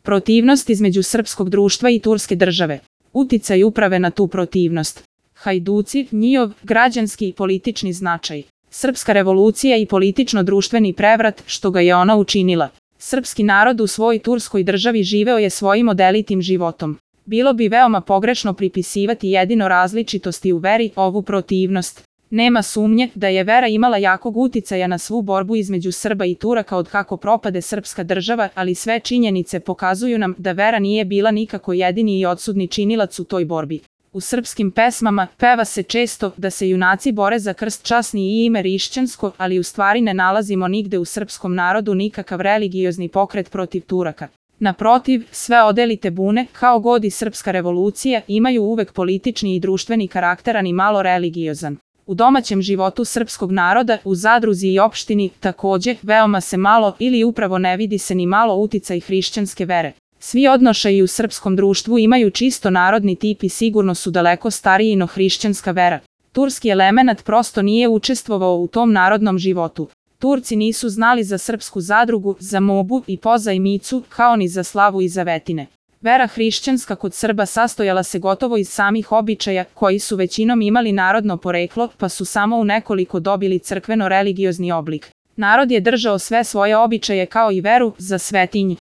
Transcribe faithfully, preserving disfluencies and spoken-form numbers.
Protivnost između srpskog društva i turske države. Uticaj uprave na tu protivnost. Hajduci, njihov građanski i politični značaj. Srpska revolucija i politično-društveni prevrat, što ga je ona učinila. Srpski narod u svojoj turskoj državi živeo je svojim odelitim životom. Bilo bi veoma pogrešno pripisivati jedino različitosti u veri ovu protivnost. Nema sumnje da je vera imala jakog uticaja na svu borbu između Srba i Turaka od kako propade srpska država, ali sve činjenice pokazuju nam da vera nije bila nikako jedini i odsudni činilac u toj borbi. U srpskim pesmama peva se često da se junaci bore za krst časni i ime hrišćansko, ali u stvari ne nalazimo nigde u srpskom narodu nikakav religiozni pokret protiv Turaka. Naprotiv, sve odelite bune, kao god i srpska revolucija, imaju uvek politični i društveni karakter, a ni malo religiozan. U domaćem životu srpskog naroda, u zadruzi i opštini, takođe, veoma se malo ili upravo ne vidi se ni malo uticaj hrišćanske vere. Svi odnošaji u srpskom društvu imaju čisto narodni tip i sigurno su daleko stariji no hrišćanska vera. Turski elemenat prosto nije učestvovao u tom narodnom životu. Turci nisu znali za srpsku zadrugu, za mobu i pozajmicu, kao ni za slavu i zavetine. Vera hrišćanska kod Srba sastojala se gotovo iz samih običaja, koji su većinom imali narodno poreklo, pa su samo u nekoliko dobili crkveno-religiozni oblik. Narod je držao sve svoje običaje kao i veru za svetinje.